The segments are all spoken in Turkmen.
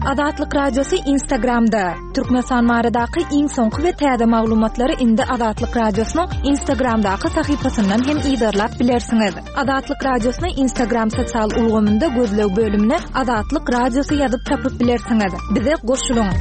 Azatlyk Radiosy Instagramda! Türkmenistan baradaky iň soňky we täze maglumatlary indi Azatlyk Radiosynyň Instagramdaky sahypasyndan hem yzarlap bilersiňiz. Azatlyk Radiosyny Instagram sosial ulgamynda gözleg bölümine Azatlyk Radiosy ýazyp tapyp bilersiňiz. Bize goşulyň!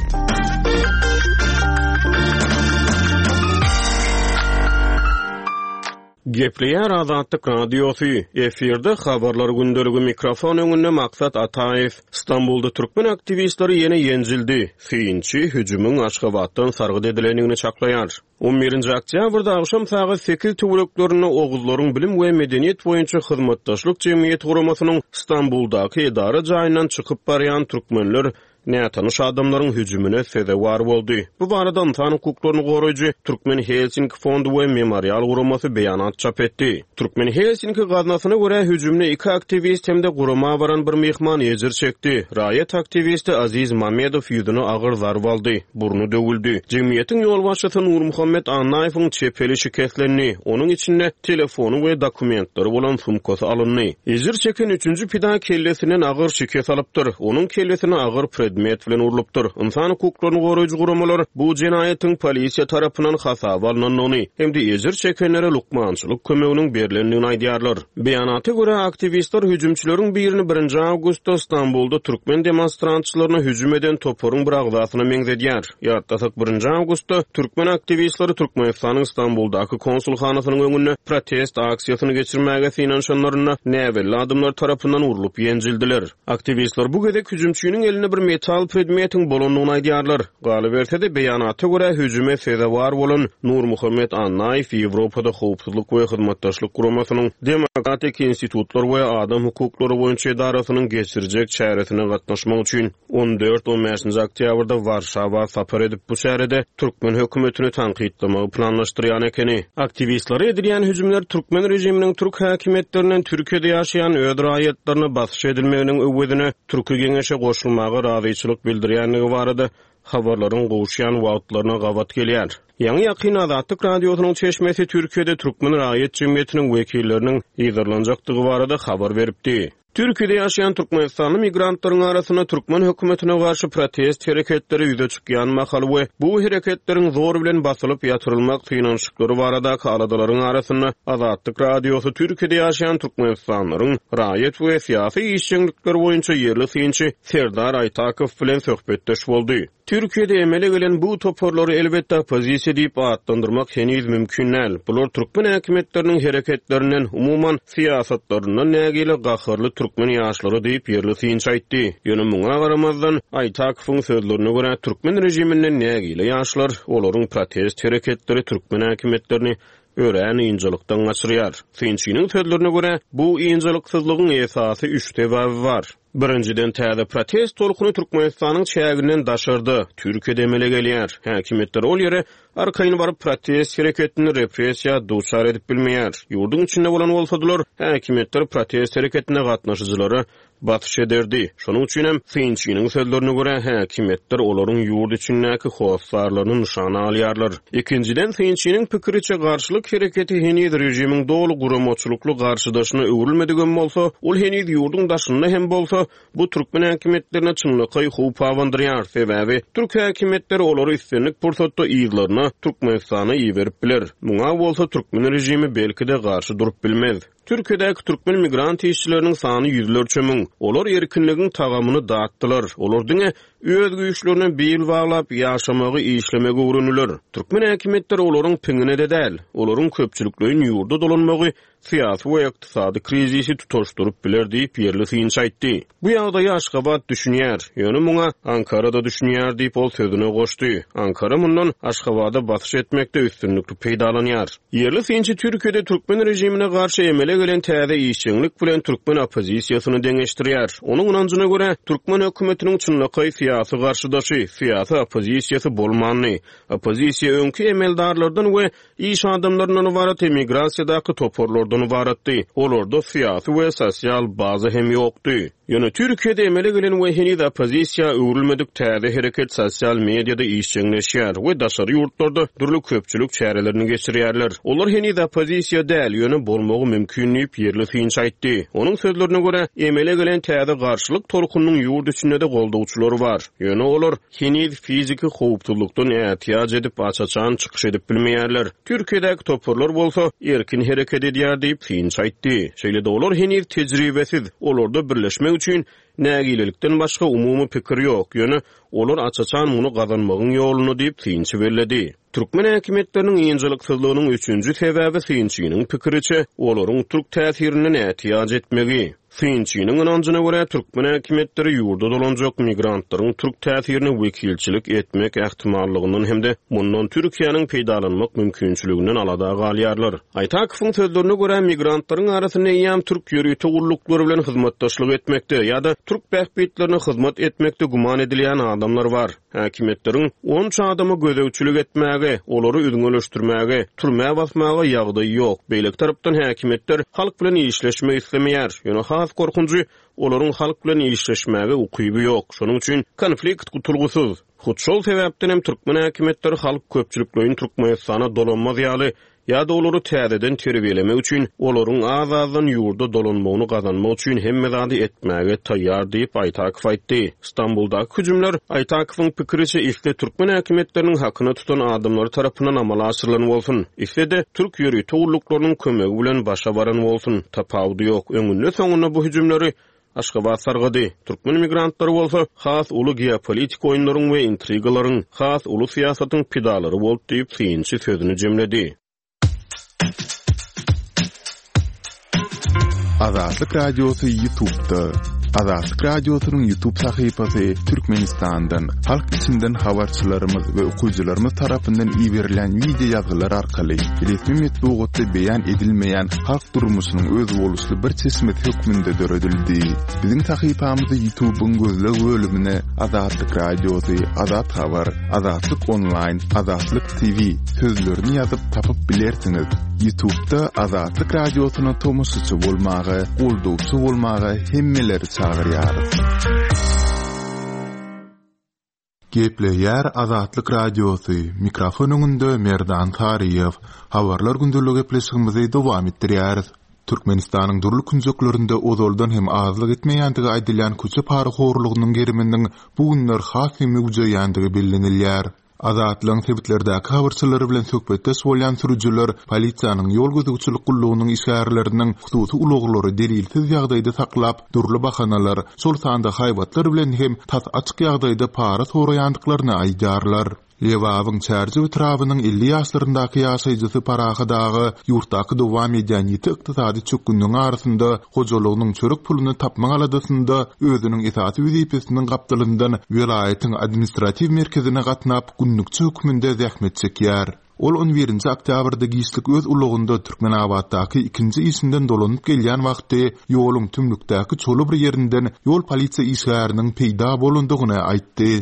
Gepleýär Azatlyk Radiosy, efirde Habarlar gündeligi mikrofon öňünde Maksat Ataýew. Stambulda türkmen aktiwistleri ýene ýenjildi. Synçy hüjümiň Aşgabatdan sargyt edilendigini çaklaýar. On birinji oktýabrda agşam sagat sekiz töwereklerinde Oguzlaryň bilim we medeniýet boýunça hyzmatdaşlyk jemgyýeti guramasynyň Stambuldaky edara jaýyndan çykyp barýan türkmenler nätanyş adamlaryň hüjümine sezewar boldy. Bu barada ynsan hukuklaryny goraýjy Türkmen Helsinki fondy we Memorial guramasy beýanat çap etdi. Türkmen Helsinki gaznasyna görä, hüjümde iki aktiwist hem-de gurama baran bir myhman ejir çekdi. Raýat aktiwisti Aziz Mamedow ýüzüne agyr zarba aldy, burny döwüldi. Jemgyýetiň ýolbaşçysy Nurmuhammet Annaýewiň çep eli şikeslendi, onuň içinde telefony we dokumentleri bolan sumkasy alyndy. Ejir çeken üçünji pida kellesinden agyr şikes alypdyr. Onuň kellesine agyr predmet bilen urlupdyr. Ynsan hukuklaryny goraýjy guramalar bu jenaýatyň polisiýa tarapyndan hasaba alnandygyny hem-de ejir çekenlere lukmançylyk kömeginiň berlendigini aýdýarlar. Beýanata görä, aktiwistler hüjümçileriň birini birinji awgustda Stambulda türkmen demonstrantçylaryna hüjüm eden toparyň bir agzasyna meňzedýär. Ýatlasak, birinji awgustda türkmen aktiwistleri Türkmenistanyň Stambuldaky konsulhanasynyň öňünde protest aksiýasyny geçirmäge synanyşanlarynda näbelli adamlar tarapyndan urlup ýenjildiler. Aktiwistler bu gezek hüjümçiniň elinde bir metal predmetiň bolandygyny aýdýarlar. Galyberse-de, beýanata görä, hüjüme sezewar bolan Nurmuhammet Annaýew Ýewropada Howpsuzlyk we Hyzmatdaşlyk Guramasynyň Demokratik institutlar we adam hukuklary boýunça edarasynyň geçirjek çäresine gatnaşmak üçin On dört-on bäşinji oktýabrda Warşawa sapar edip, bu çärede türkmen hökümetini tankytlamagy planlaşdyrýan ekeni. Aktiwistlere edilýän hüjümler türkmen režiminiň türk häkimiýetlerinden Türkiýede ýaşaýan öz raýatlaryna basyş edilmeginiň öwezine Türki Geňeşe goşulmaga razyçylyk bildirýändigi barada habarlaryň gowuşýan wagtlaryna gabat gelýär. Ýaňy-ýakynda Azatlyk Radiosynyň çeşmesi Türkiýede türkmen raýat jemgyýetiniň wekilleriniň yzarlanjakdygy barada habar beripdi. Türkiýede ýaşaýan türkmenistanly migrantlaryň arasynda türkmen hökümetine garşy protest hereketleri ýüze çykýan mahaly we bu hereketleriň zor bilen basylyp ýatyrylmak synanyşyklary baradaky aladalaryň arasynda Azatlyk Radiosy Türkiýede ýaşaýan türkmenistanlylaryň raýat we syýasy işjeňlikleri boýunça ýerli synçy Serdar Aýtakow bilen söhbetdeş boldy. Türkiýede emele gelen bu toparlary elbetde oppozisiýa diýip atlandyrmak heniz mümkin däl. Bular türkmen häkimiýetleriniň hereketlerinden, umuman, syýasatlaryndan nägile gaharly türkmen ýaşlary diýip, ýerli synçy aýtdy. Ýöne muňa garamazdan, Aýtakowyň sözlerine görä, türkmen režiminden nägile ýaşlar, olaryň protest hereketleri türkmen häkimiýetlerini örän ynjalykdan gaçyrýar. Synçynyň sözlerine görä, bu ynjalyksyzlygyň esasy üç sebäbi bar. Birinjiden, täze protest tolkuny Türkmenistanyň çäginden daşarda, Türkiýede emele gelýär. Häkimiýetler ol ýere arkaýyn baryp protest hereketini repressiýa duçar edip bilmeýär. Ýurduň içinde bolan bolsadylar, häkimiýetler protest hereketine gatnaşyjylara basyş ederdi. Şonuň üçinem, synçynyň sözlerine görä, häkimiýetler olaryň ýurt içindäki hossarlaryny nyşana alýarlar. Ikinjiden, synçynyň pikiriçe, garşylyk hereketi heniz režimiň doly guramaçylykly garşydaşyna öwrülmedigem bolsa, ol heniz ýurduň daşynda hem bolsa, bu türkmen häkimiýetlerine çynlakaý howp abandyrýar, sebäbi türk häkimiýetleri olary islendik pursatda yzlaryna, Türkmenistana iberip biler. Muňa bolsa türkmen režimi belki-de garşy durup bilmez. Türkiýedäki türkmen migrant işçileriniň sany ýüzlerçe müň. Olar erkinligiň tagamyny datdylar. Olar diňe öz güýçlerine bil baglap ýaşamagy, işlemegi öwrendiler. Türkmen häkimiýetleri olaryň piňine-de däl. Olaryň köpçülikleýin ýurda dolanmagy syýasy we ykdysady krizisi tutaşdyryp biler diýip, ýerli synçy aýtdy. Bu ýagdaýa Aşgabat düşünýär, ýöne muňa Ankara-da düşünýär diýip, ol sözüne goşdy. Ankara mundan Aşgabada basyş etmekde üstünlikli peýdalanýar. Ýerli synçy Türkiýede türkmen režimine garşy emele gelen täze işjeňlik bilen türkmen oppozisiýasyny deňeşdirýär. Onuň ynanjyna görä, türkmen hökümetiniň çynlakaý syýasy garşydaşy, syýasy oppozisiýasy bolmandy. Oppozisiýa öňki emeldarlardan we iş adamlaryndan ybarat emigrasiýadaky toparlardan ybaratdy. Olarda syýasy we sosial baza hem ýokdy. Ýöne Türkiýede emele gelen we heniz oppozisiýa öwrülmedik täze hereket sosial mediada işjeňleşýär we daşary ýurtlarda dürli köpçülik çärelerini geçirýärler. Olar heniz oppozisiýa däl, ýöne bolmagy mümkin. mümkin diýip, ýerli synçy aýtdy. Onuň sözlerine görä, emele gelen täze garşylyk tolkunynyň ýurt içinde-de goldawçylary bar. Ýöne olar heniz fiziki howpsuzlykdan ätiýaç edip, aç-açan çykyş edip bilmeýärler. Türkiýedäki toparlar bolsa, erkin hereket edýär diýip, synçy aýtdy. Şeýle-de olar heniz tejribesiz, olarda birleşmek üçin nägilelikden başga umumy pikir ýok, ýöne olar aç-açan muny gazanmagyň ýolunda diýip, synçy belledi. Türkmen häkimiýetleriniň ynjalyksyzlygynyň üçünji sebäbi synçynyň pikiriçe, olaryň türk täsirinden ätiýaç etmegi. Synçynyň ynanjyna görä, türkmen häkimiýetleri ýurda dolanjak migrantlaryň türk täsirine wekilçilik etmek ähtimallygyndan hem-de mundan Türkiýäniň peýdalanmak mümkinçiliginden alada galýarlar. Aýtakowyň sözlerine görä, migrantlaryň arasynda eýýäm türk ýörite gulluklary bilen hyzmatdaşlyk etmekde ýa-da türk bähbitlerine hyzmat etmekde güman edilýän adamlar bar. Häkimiýetleriň onça adama gözegçilik etmäge, olary üzňeleşdirmäge, türmä basmaga ýagdaýy ýok. Beýleki tarapdan häkimiýetler halk bilen işleşmek islemeýär. Ýöne has gorkunjy, olaryň halk bilen işleşmäge ukyby ýok. Şonuň üçin konflikt gutulgysyz. Hut şol sebäpden hem türkmen häkimiýetleri halk köpçülikleýin Türkmenistana dolanmaz ýaly ýa-da olary täzeden terbiýelemek üçin, olaryň az-azdan ýurda dolanmagyny gazanmak üçin hemme zady etmäge taýýar diýip, Aýtakow aýtdy. Stambuldaky hüjümler, Aýtakowyň pikiriçe, isle türkmen häkimiýetleriniň hakyna tutan adamlary tarapyndan amala aşyrylan bolsun, isle-de türk ýörite gulluklarynyň kömegi bilen başa baran bolsun, tapawudy ýok, öňünde-soňunda bu hüjümleri Aşgabat sargady. Türkmen migrantlary bolsa has uly geopolitik oýunlaryň we intrigalaryň, has uly syýasatyň pidalary boldy diýip, synçy sözüni jemledi. Azatlyk Radiosy Ýutubda. Azatlyk Radiosynyň Ýutub sahypasy Türkmenistandan, halk içinden habarçylarymyz we okyjylarymyz tarapyndan iberilýän wideo ýazgylar arkaly resmi metbugatda beýan edilmeýän halk durmuşynyň özboluşly bir çeşmesi hökmünde döredildi. Biziň sahypamyzy Ýutubyň gözleg bölümine Azatlyk Radiosy, Azat Habar, Azatlyk Onlaýn, Azatlyk TV sözlerini ýazyp tapyp bilersiňiz. Ýutubda Azatlyk Radiosyna tomaşaçy bolmaga, goldawçy bolmaga hemmeleri çagyrýarys. Gepleýär Azatlyk Radiosy, mikrofon öňünde Merdan Saryýew. Habarlar gündelik gepleşigimizi dowam etdirýäris. Türkmenistanyň dürli künjeklerinde ozaldan hem azlyk etmeýändigi aýdylýan köçe parahorlugynyň geriminiň bu günler has hem möwjeýändigi bellenilýär. Azatlygyň sebitlerdäki habarçylary bilen söhbetdeş bolýan sürüjiler polisiýanyň ýol gözegçilik gullugynyň işgärleriniň hususy ulaglary delilsiz ýagdaýda saklap, dürli bahanalar, şol sanda haýbatlar bilen hem tas açyk ýagdaýda para soraýandyklaryny aýdýarlar. Lebabyň Çärjew etrabynyň 50 ýaşlaryndaky ýaşaýjysy Parahat aga ýurtdaky dowam edýän ýiti ykdysady çökgünligiň arasynda hojalygynyň çörek puluny tapmak aladasynda özüniň esasy wezipesiniň gapdalyndan welaýatyň administratiw merkezine gatnap, günlükçi hökmünde zähmet çekýär. Ol on birinji oktýabrda giçlik öz ulagynda Türkmenabatdaky ikinji işinden dolanyp gelýän wagty ýoluň tümlükdäki çola bir ýerinden ýol polisiýa işgäriniň peýda bolandygyny aýtdy.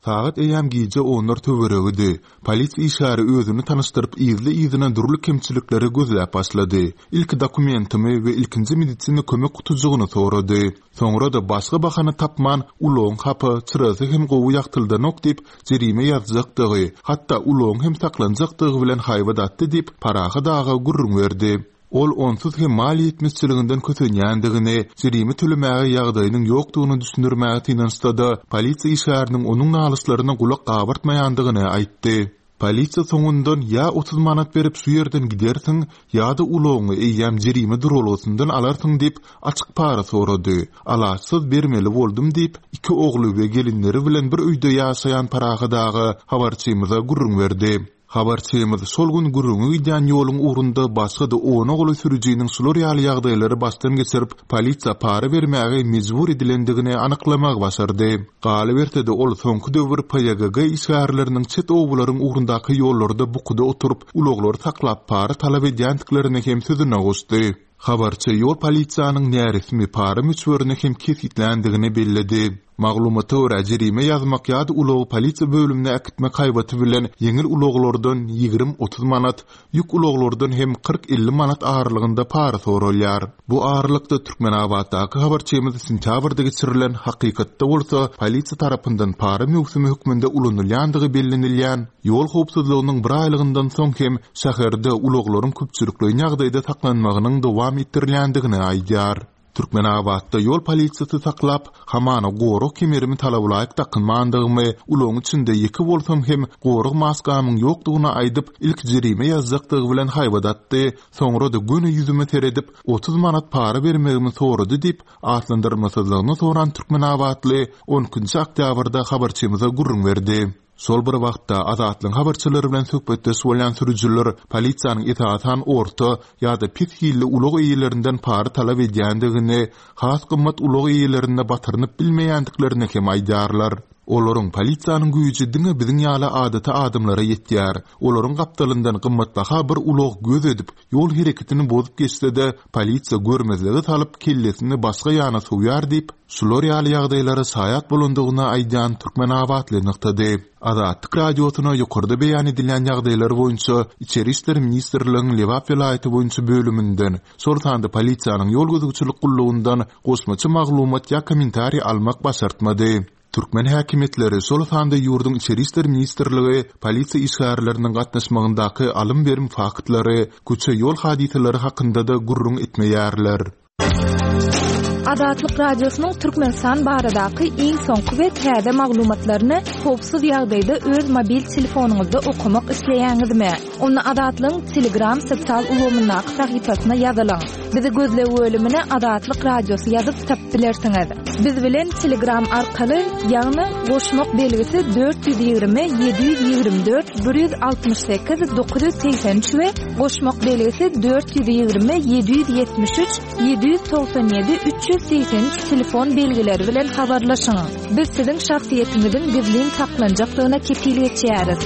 Sagat eýýäm gije onlar töweregidi. Polisiýa işgäri özüni tanyşdyryp yzly-yzyna dürli kemçilikleri gözläp başlady. Ilki dokumentimi we ilkinji medisina kömek gutujygyny sorady. Soňra-da başga bahana tapman, ulagyň hapa, çyrasy hem gowy ýagtyldanok diýip, jerime ýazjakdygy, hatda ulagyň hem saklanjakdygy bilen haýbat atdy diýip, Parahat aga gürrüň berdi. Ol onsuz hem maliýe ýetmezçiliginden kösenýändigini, jerime tölemäge ýagdaýynyň ýokdugyny düşündirmäge synanyşsa-da, polisiýa işgäriniň onuň nalyşlaryna gulak gabartmaýandygyny aýtdy. Polisiýa soňundan ýa 30 manat berip şu ýerden gidersiň, ýa-da ulagyňy eýýäm jerime duralgasyndan alarsyň diýip, açyk para sorady. Alaçsyz bermeli boldum diýip, iki ogly we gelinleri bilen bir öýde ýaşaýan Parahat aga habarçymyza gürrüň berdi. Habarçymyz şol gün gürrüňi gidýän ýoluň ugrunda başga-da ona golaý sürüjiniň şular ýaly ýagdaýlary başdan geçirip, polisiýa para bermäge mejbur edilendigini anyklamagy başardy. Galyberse-de, ol soňky döwür PYGG işgärleriniň çet obalaryň ugrundaky ýollarda bukuda oturyp, ulaglary saklap para talap edýändiklerini hem sözüne goşdy. Habarçy ýol polisiýanyň näresmi para möçberini hem kesgitländigini belledi. Maglumata görä, jerime ýazmak ýa-da ulagy polisiýa bölümine äkitmek haýbaty bilen ýeňil ulaglardan 20-30 manat, ýük ulaglardan hem 40-50 manat aralygynda para soralýar. Bu aralykda, Türkmenabatdaky habarçymyz sentýabrda geçirilen, hakykatda bolsa polisiýa tarapyndan para möwsümi hökmünde ulanylýandygy bellenilýän ýol howpsuzlygynyň bir aýlygyndan soň hem şäherde ulaglaryň köpçülikleýin ýagdaýda saklanmagynyň dowam etdirilýändigini aýdýar. Türkmenabatda ýol polisiýasy saklap, hamana gorag kemerimi talabalaýyk dakynmandygymy, ulagyň içinde ýeke bolsam hem gorag maskamyň ýokdugyny aýdyp, ilki jerime ýazjakdygy bilen haýbat atdy, soňra-da göni ýüzüme seredip, 30 manat para bermegimi sorady diýip, atlandyrmasyzlygyny soran türkmenabatly on ikinji oktýabrda habarçymyza gürrüň berdi. Şol bir wagtda, Azatlygyň habarçylary bilen söhbetdeş bolýan sürüjiler polisiýanyň esasan orta ýa-da pes hilli ulag eýelerinden para talap edýändigini, has gymmat ulag eýelerine batyrynyp bilmeýändiklerini hem aýdýarlar. Olaryň polisiýanyň güýji diňe biziň ýaly adaty adamlara ýetýär. Olaryň gapdalyndan gymmatbaha bir ulag göz edip, ýol hereketini bozup geçse-de, polisiýa görmezlige salyp, kellesini başga ýana sowýar diýip, şular ýaly ýagdaýlara şaýat bolandygyny aýdýan türkmenabatly nygtady. Azatlyk Radiosyna ýokarda beýan edilýän ýagdaýlar boýunça Içeri işler ministrligiň Lebap welaýaty boýunça bölüminden, şol sanda polisiýanyň ýol gözegçilik gullugyndan goşmaça maglumat ýa kommentariý almak başartmady. Türkmen häkimiýetleri, şol sanda ýurduň Içeri işler ministrligi polisiýa işgärleriniň gatnaşmagyndaky alym-berim faktlary, köçe-ýol hadysalary hakynda-da gürrüň etmeýärler. Azatlyk Radiosynyň Türkmenistan baradaky iň soňky we täze maglumatlaryny howpsuz ýagdaýda öz mobil telefonyňyzda okamak isleýäňizmi? Onda Azatlygyň Telegram sosial ulgamyndaky sahypasyna ýazylyň. Bizi gözleg bölümine Azatlyk Radiosy ýazyp tapyp bilersiňiz. Biz bilen Telegram arkaly, ýagny goşmak belgisi 420 724 168 983 we goşmak belgisi 420 773 797 383 telefon belgileri bilen habarlaşyň. Biz siziň şahsyýetiňiziň gizlin saklanjakdygyna kepil geçýäris.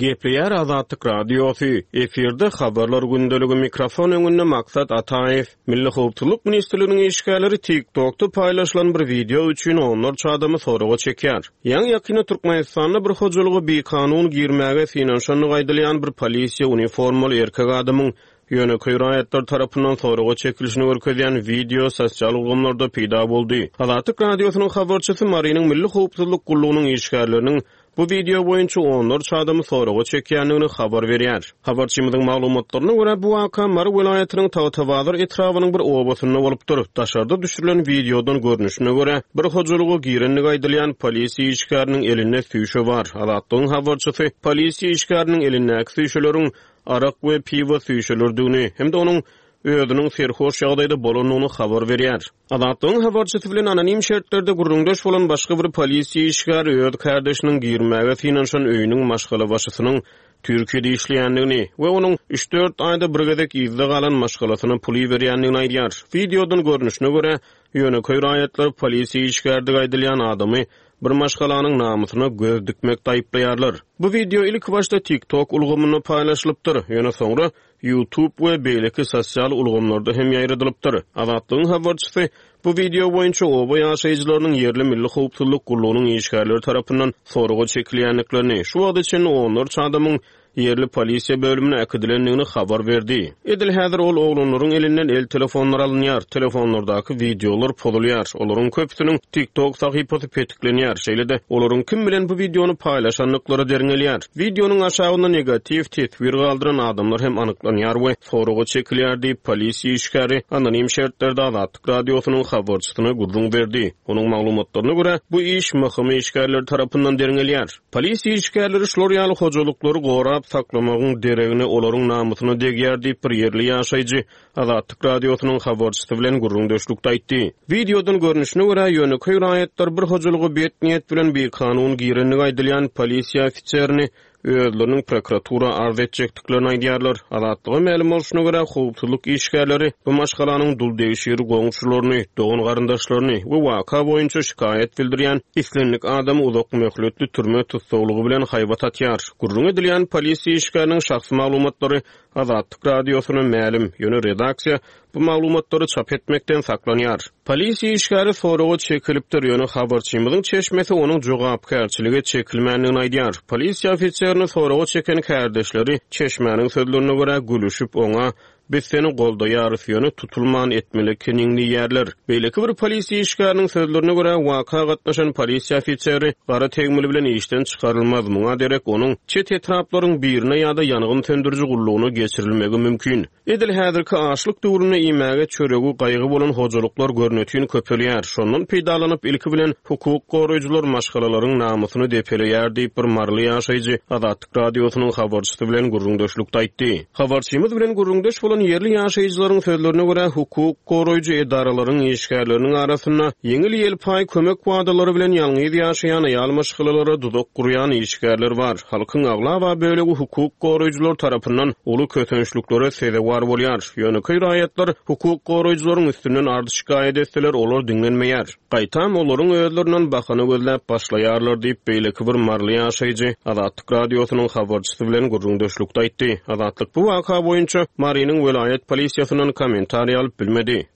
Gepleýär Azatlyk Radiosy, efirde Habarlar gündeligi mikrofon öňünde Maksat Ataýew. Milli howpsuzlyk ministrliginiň işgärleri TikTokda paýlaşylan bir wideo üçin onlarça adamy soraga çekýär. Ýaňy-ýakynda Türkmenistanda bir hojalyga bikanun girmäge synanyşandygy aýdylýan bir polisiýa uniformaly erkek adamyň ýönekeý raýatlar tarapyndan soraga çekilişini görkezýän wideo sosial ulgamlarda peýda boldy. Azatlyk Radiosynyň habarçysy Marynyň Milli howpsuzlyk gullugynyň işgärleriniň bu wideo boýunça onlarça adamy soraga çekýändigini habar berýär. Habarçymyzyň maglumatlaryna görä, bu waka Mary welaýatynyň Tagtabazar etrabynyň bir obasynda bolupdyr. Daşarda düşürilen wideodan görnüşine görä, bir hojalyga girendigi aýdylýan polisiýa işgäriniň elinde süýşe bar. Azatlygyň habarçysy polisiýa işgäriniň elindäki süýşeleriň arak we piwo süýşeleridigini hem-de onuň özüniň serhoş ýagdaýda bolandygyny habar berýär. Azatlygyň habarçysy bilen anonim şertlerde gürrüňdeş bolan başga bir polisiýa işgäri öz kärdeşiniň girmäge synanyşan öýüniň maşgalabaşysynyň Türkiýede işleýändigini we onuň üç-dört aýda bir gezek yzda galan maşgalasyna pul iberýändigini aýdýar. Wideodan görnüşine görä, ýönekeý raýatlar polisiýa işgärdigi aýdylýan adamy bir maşgalanyň namysyna göz dikmekde aýyplaýarlar. Bu wideo ilkibaşda TikTok ulgamynda paýlaşylypdyr, ýöne soňra YouTube we beýleki sosial ulgamlarda hem ýaýradylypdyr. Azatlygyň habarçysy bu wideo boýunça oba ýaşaýjylarynyň ýerli Milli howpsuzlyk gullugynyň işgärleri tarapyndan soraga çekilýändiklerini, şu wagta çenli onlarça adamyň ýerli polisiýa bölümine äkidilendigini habar berdi. Edil häzir ol oglanlaryň elinden el telefonlary alynýar, telefonlardaky wideolar pozulýar, olaryň köpüsiniň TikTok sahypasy petiklenýär, şeýle-de olaryň kim bilen bu wideony paýlaşandyklary derňelýär. Wideonyň aşagynda negatiw teswir galdyran adamlar hem anyklanýar we soraga çekilýär diýip, polisiýa işgäri anonim şertlerde Azatlyk Radiosynyň habarçysyna gürrüň berdi. Onuň maglumatlaryna görä, bu iş MHM işgärleri tarapyndan derňelýär. Polisiýa işgärleri şular ýaly hojalyklary gorap saklamagyň deregine olaryň namysyna degýär diýip, bir ýerli ýaşaýjy Azatlyk Radiosynyň habarçysy bilen gürrüňdeşlikde aýtdy. Wideodan görnüşine görä, ýönekeý raýatlar bir hojalyga bet niýet bilen bikanun girendigi aýdylýan polisiýa ofiserini özleriniň prokuratura arz etjekdiklerini aýdýarlar. Azatlyga mälim bolşuna görä, howpsuzlyk işgärleri bu maşgalanyň duldegşir goňşularyny, dogan-garyndaşlaryny we waka boýunça şikaýat bildirýän islendik adamy uzak möhletli türme tussaglygy bilen haýbat atýar. Gürrüňi edilýän polisiýa işgäriniň şahsy maglumatlary Azatlyk Radiosyna mälim, ýöne redaksiýa. bu maglumatlary çap etmekden saklanýar. Polisiýa işgäri soraga çekilipdir, ýöne habarçymyzyň çeşmesi onuň jogapkärçilige çekilmändigini aýdýar. Polisiýa ofiserini soraga çeken kärdeşleri, çeşmäniň sözlerine görä, gülüşip, oňa Biz seni goldaýarys, ýöne tutulman etmeli ekeniň diýýärler. Beýleki bir polisiýa işgäriniň sözlerine görä, waka gatnaşan polisiýa ofiseri gara tegmil bilen işden çykarylmaz, muňa derek onuň çet etraplaryň birine ýa-da ýangyn söndüriji gullugyna geçirilmegi mümkin. Edil häzirki açlyk döwründe iýmäge çöregi gaýgy bolan hojalyklar görnetin köpelýär. Şondan peýdalanyp, ilki bilen, hukuk goraýjylar maşgalalaryň namysyny depeleýär diýip, bir maryly ýaşaýjy Azatlyk Radiosynyň habarçysy bilen gürrüňdeşlikde aýtdy. Habarçymyz bilen gürrüňdeş bolan ýerli ýaşaýjylaryň sözlerine görä, hukuk goraýjy edaralaryň işgärleriniň arasynda ýeňil-ýelpaý kömek wadalary bilen ýalňyz ýaşaýan aýal maşgalalara duzak gurýan işgärler bar. Halkyň aglaba bölegi hukuk goraýjylar tarapyndan uly kösençliklere sezewar bolýar. Ýönekeý raýatlar hukuk goraýjylaryň üstünden arz-şikaýat etseler, olar diňlenmeýär. Gaýtam, olaryň özlerinden bahana gözläp başlaýarlar diýip, beýleki bir maryly ýaşaýjy Azatlyk Radiosynyň habarçysy bilen gürrüňdeşlikde aýtdy. Azatlyk bu waka boýunça Marynyň welaýat polisiýasyndan kommentariý alyp bilmedi.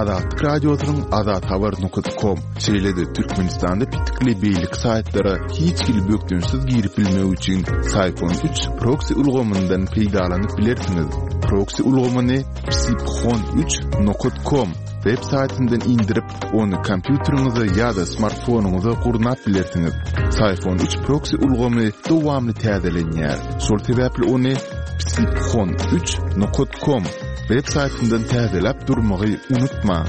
Azatlyk Radiosynyň azathabar nokat kom, şeýle-de Türkmenistanda petikli beýleki saýtlara hiç hili bökdençsiz girip bilmek üçin Syphon 3 proksi ulgamyndan peýdalanyp bilersiňiz. Proksi ulgamyny psiphon 3 nokat kom web saýtyndan indirip, ony kompýuteriňize ýa-da smartfonyňyza gurnap bilersiňiz. Syphon 3 proksi ulgamy dowamly täzelenýär. Şol sebäpli ony psiphon 3 nokat kom web saýtyndan täzeläp durmagy unutmaň.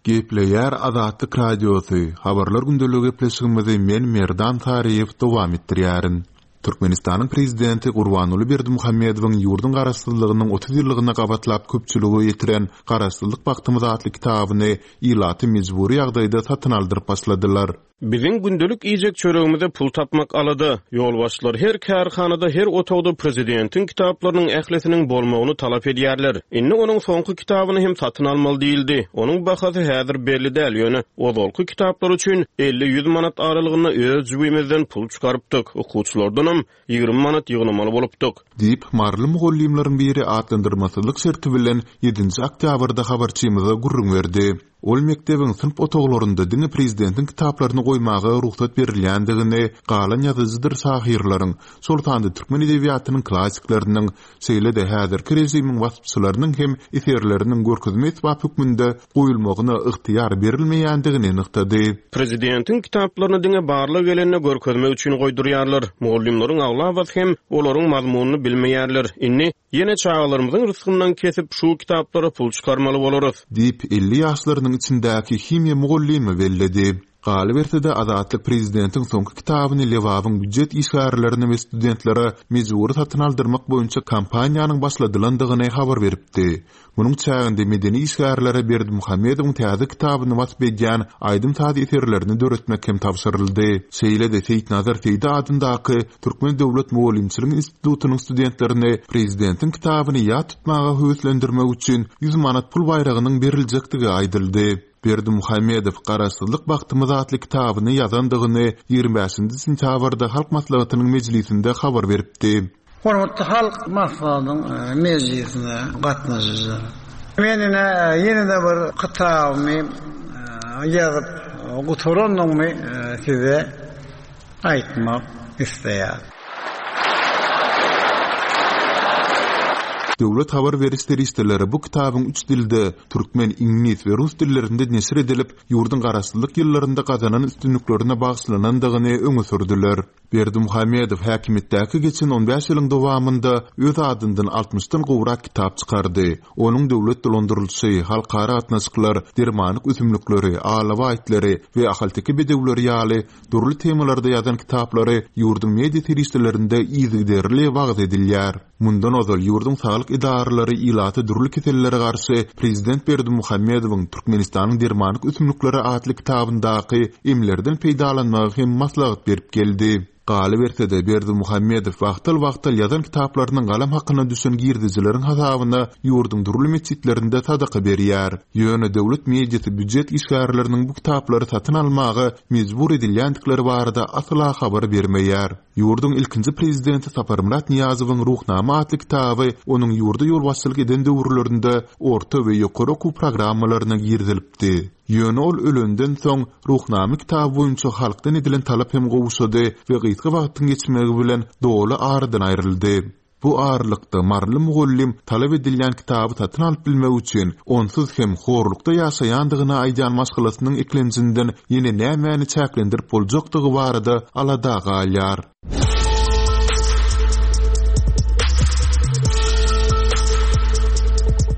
Gepleýär Azatlyk Radiosy, Habarlar gündeligi gepleşigimizi men Merdan Saryýew dowam etdirýärin. Türkmenistanyň Prezidenti Gurbanguly Berdimuhamedowyň ýurduň Garaşsyzlygynyň 30 ýyllygyna gabatlap köpçülige ýetiren Garaşsyzlyk bagtymyz atly kitabyny ilata mejbury ýagdaýda satyn aldyryp başladylar. Biziň gündelik iýjek çöregimize pul tapmak alada. Ýolbaşçylar her kärhanada, her otagda prezidentiň kitaplarynyň ählisiniň bolmagyny talap edýärler. Indi onuň soňky kitabyny hem satyn almaly diýildi. Onuň bahasy häzir belli däl, ýöne ozalky kitaplar üçin elli-ýüz manat aralygynda öz jübimizden pul çykarypdyk, okuwçylardanam 20 manat ýygnamaly bolupdyk. Diýip, maryly mugallymlaryň biri atlandyrmasyzlyk şerti bilen ýedinji oktýabrda habarçymyza gürrüň berdi. Ol mekdebiň synp otaglarynda diňe prezidentiň kitaplaryny goýmaga rugsat berilýändigini, galan ýazyjydyr şahyrlaryň, şol sanda türkmen edebiýatynyň klassikleriniň, şeýle-de häzirki režimiň waspçylarynyň hem eserleriniň görkezme esbap hökmünde goýulmagyna ygtyýar berilmeýändigini nygtady. Prezidentiň kitaplaryny diňe barlag gelende görkezmek üçin goýdurýarlar. Mugallymlaryň aglabasy hem olaryň mazmunyny bilmeýärler. Indi, ýene çagalarymyzyň rysgyndan kesip, şu kitaplara pul çykarmaly bolarys. Diýip, 50 ýaşlarynyň içindäki himiýa mugallymy belledi. Galyberse-de, Azatlyk prezidentiň soňky kitabyny Lebabyň býujet işgärlerine we studentlere mejbury satyn aldyrmak boýunça kampaniýanyň başladylandygyny habar beripdi. Munuň çäginde medeni işgärlere Berdimuhamedowyň täze kitabyny wasp edýän aýdym-saz eserlerini döretmek hem tabşyryldy. Şeýle-de Seýitnazar Seýdi adyndaky Türkmen döwlet mugallymçylyk institutynyň studentlerini prezidentiň kitabyny ýat tutmaga höweslendirmek üçin 100 manat pul baýragynyň beriljekdigi aýdyldy. Berdimuhamedow Garaşsyzlyk bagtymyz atly kitabyny ýazandygyny 25-nji sentýabrda Halk Maslahatynyň mejlisinde habar beripdi. Hormatly Halk Maslahatynyň mejlisine gatnaşyjylar! Men ine ýene-de bir kitabymy ýazyp gutarandygymy size aýtmak isleýärin. Döwlet habar beriş serişdeleri bu kitabyň üç dilde, türkmen, iňlis we rus dillerinde neşir edilip, ýurduň garaşsyzlyk ýyllarynda gazanan üstünliklerine bagyşlanandygyny öňe sürdüler. Berdimuhamedow häkimiýetdäki geçen on bäş ýylyň dowamynda öz adyndan altmyşdan gowrak kitap çykardy. Onuň döwlet dolandyrylyşy, halkara gatnaşyklar, dermanlyk ösümlikleri, alabaý itleri we ahalteke bedewleri ýaly dürli temalarda ýazan kitaplary ýurduň media serişdelerinde yzygiderli wagyz edilýär. Mundan ozal ýurduň saglyk edaralary ilata dürli kesellere garşy prezident Berdimuhamedowyň Türkmenistanyň dermanlyk ösümlikleri atly kitabyndaky emlerden peýdalanmagy hem maslahat berip geldi. Galyberse-de, Berdimuhamedow wagtal-wagtal ýazan kitaplarynyň galam hakyna düşen girdejileriň hasabyna ýurduň dürli metjitlerinde sadaka berýär. Ýöne döwlet mediasy býujet işgärleriniň bu kitaplary satyn almaga mejbur edilýändikleri barada asla habar bermeýär. Ýurduň ilkinji prezidenti Saparmyrat Nyýazowyň Ruhnama atly kitaby onuň ýurda ýolbaşçylyk eden döwürlerinde orta we ýokary okuw programmalaryna girizilipdi. Ýöne ol ölenden soň, Ruhnama kitaby boýunça halkdan edilen talap hem gowşady we gysga wagtyň geçmegi bilen doly aradan aýryldy. Bu aralykda, maryly mugallym talap edilýän kitaby satyn alyp bilmek üçin, onsuz hem horlukda ýaşaýandygyny aýdýan maşgalasynyň eklenjinden ýene nämäni çäklendirip boljakdygy barada alada galýar.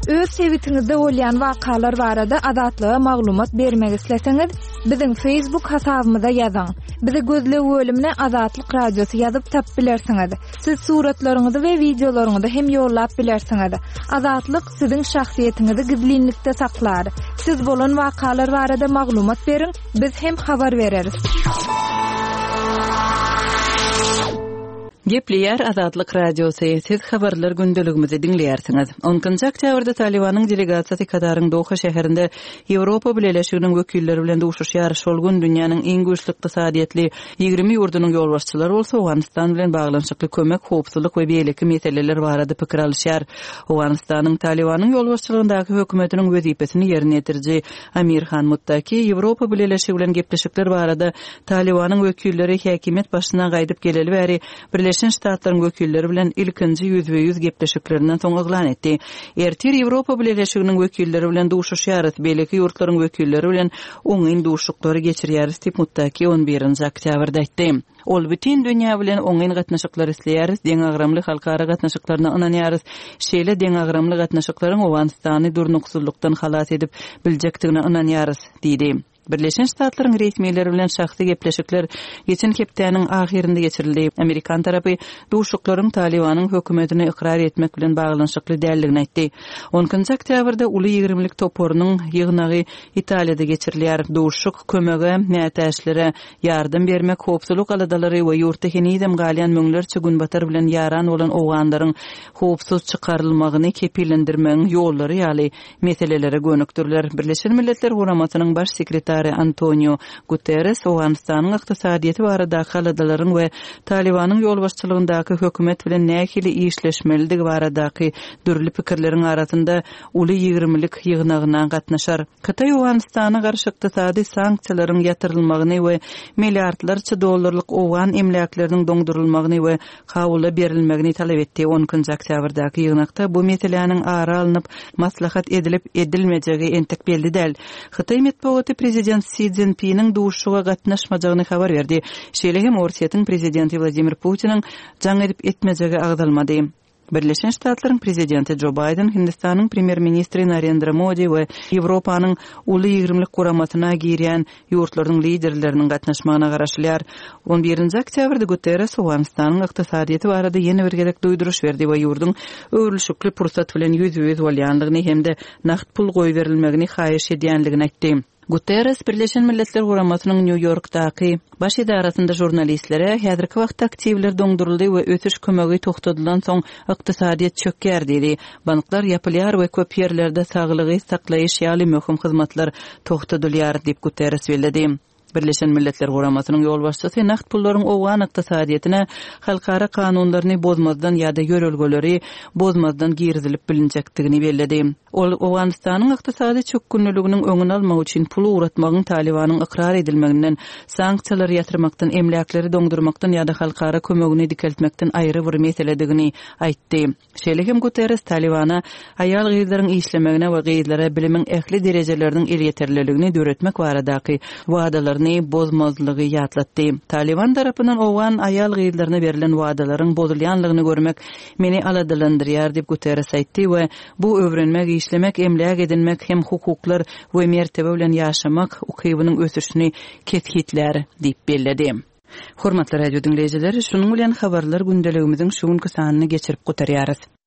Öz sebitiňizde bolýan wakalar barada Azatlyga maglumat bermek isleseňiz, biziň Facebook hasabymyza ýazyň. Bizi gözleg bölümine Azatlyk Radiosy ýazyp tapyp bilersiňiz. Siz suratlaryňyzy we wideolaryňyzy hem ýollap bilersiňiz. Azatlyk siziň şahsyýetiňizi gizlinlikde saklar. Siz bolan wakalar barada maglumat beriň, Biz hem habar bereris. Gepleýär Azatlyk Radiosy, Siz habarlar gündeligimizi diňleýärsiňiz. On ikinji oktýabrda Talybanyň delegasiýasy Kataryň Doha şäherinde Ýewropa Bileleşiginiň wekilleri bilen duşuşýar. Şol gün dünýäniň iň güýçli ykdysadyýetli 20 ýurdunyň ýolbaşçylary bolsa Owganystan bilen baglanyşykly kömek, howpsuzlyk we beýleki meseleler barada pikir alyşýar. Owganystanyň Talybanyň ýolbaşçylygyndaky hökümetiniň wezipesini ýerine ýetiriji Amir Han Muttaki Ýewropa Bileleşigi bilen gepleşikler barada Talybanyň wekilleri häkimiýet başyna gaýdyp geleli bäri Birleşen Ştatlaryň wekilleri bilen ilkinji ýüzbe-ýüz gepleşiklerinden soň yglan etdi. Ertir Ýewropa Bileleşiginiň wekilleri bilen duşuşýarys, beýleki ýurtlaryň wekilleri bilen oňyn duşuşyklary geçirýäris diýip, Muttaki on birinji oktýabrda aýtdy. Ol, Bütin dünýä bilen oňyn gatnaşyklar isleýäris, deňagramly halkara gatnaşyklaryna ynanýarys. Şeýle deňagramly gatnaşyklaryň Owganystany durnuksyzlykdan halas edip biljekdigine ynanýarys diýdi. Birleşen Ştatlaryň resmileri bilen şahsy gepleşikler geçen hepdäniň ahyrynda geçirildi. Amerikan tarapy duşuşyklaryň Talybanyň hökümetini ykrar etmek bilen baglanyşykly däldigini aýtdy. On ikinji oktýabrda Uly ýigrimlik toparynyň ýygnagy Italiýada geçirilýär. Duşuşyk kömege mätäçlere Ýardam bermek, howpsuzlyk aladalary we ýurtda henizem galýan müňlerçe Günbatar bilen ýaran bolan owganlaryň howpsuz çykarylmagyny kepillendirmegiň ýollary ýaly meselelere gönükdiriler. Birleşen Milletler Guramasynyň Baş sekretary Antoniu Guterres Owganystanyň ykdysadyýeti baradaky aladalaryň we Talybanyň ýolbaşçylygyndaky hökümet bilen nähili işleşmelidigi baradaky dürli pikirleriň arasynda Uly ýigrimlik ýygnagyna gatnaşar. Hytaý Owganystana garşy ykdysady sanksiýalaryň ýatyrylmagyny we milliardlarça dollarlyk owgan emläkleriniň doňdurylmagyny we Kabula berilmegini talap etdi. On ikinji oktýabrdaky ýygnakda bu meseläniň ara alnyp maslahat edilip edilmejegi entek belli däl. Hytaý metbugaty prezident Si Szinpiniň duşuşyga gatnaşmajagyny habar berdi. Şeýle hem Orsýetiň prezidenti Wladimir Putiniň jaň edip etmejegi agzalmady. Birleşen Ştatlaryň prezidenti Jo Baýden, Hindistanyň premýer-ministri Narendra Modi we Ýewropanyň Uly ýigrimlik guramasyna girýän ýurtlarynyň liderleriniň gatnaşmagyna garaşylýar. On birinji oktýabrda Guterres Owganystanyň ykdysadyýeti barada ýene bir gezek duýduryş berdi we ýurduň öwrülişikli pursat bilen ýüzbe-ýüz bolýandygyny hem-de nagt pul goýberilmegini haýyş edýändigini aýtdy. Guterres Birleşen Milletler Guramasynyň Nýu-Ýorkdaky Baş edarasynda žurnalistlere, Häzirki wagtda aktiwler doňduryldy we ösüş kömegi togtadylansoň, ykdysadyýet çökýär diýdi. Banklar ýapylýar we köp ýerlerde saglygy saklaýyş ýaly möhüm hyzmatlar togtadylýar diýip, Guterres belledi. Birleşen Milletler Guramasynyň ýolbaşçysy nagt pullaryň owgan ykdysadyýetine halkara kanunlaryny bozmazdan ýa-da ýörelgeleri bozmazdan girizilip bilinjekdigini belledi. Ol Owganystanyň ykdysady çökgünliliginiň öňüni almak üçin pul ugratmagyň Talybanyň ykrar edilmeginden, sanksiýalary ýatyrmakdan, emläkleri doňdurmakdan ýa-da halkara kömegini dikeltmekden aýry bir meseledigini aýtdy. Şeýle hem Guterres Talybana aýal-gyzlaryň işlemegine we gyzlara bilimiň ähli derejeleriniň elýeterliligini döretmek baradaky wadalaryny bozmazlygy ýatlatdy. Talyban tarapyndan owgan aýal-gyzlaryna berlen wadalaryň bozulýanlygyny görmek meni aladalandyrýar diýip Guterres aýtdy we Bu öwrenmek, işlemek, emläk edinmek hem hukuklar we mertebe bilen ýaşamak ukybynyň ösüşini kesgitlär diýip belledi. Hormatly radio diňleýjiler, şunuň bilen Habarlar gündeligimiziň şu günki sanyny geçirip gutarýarys.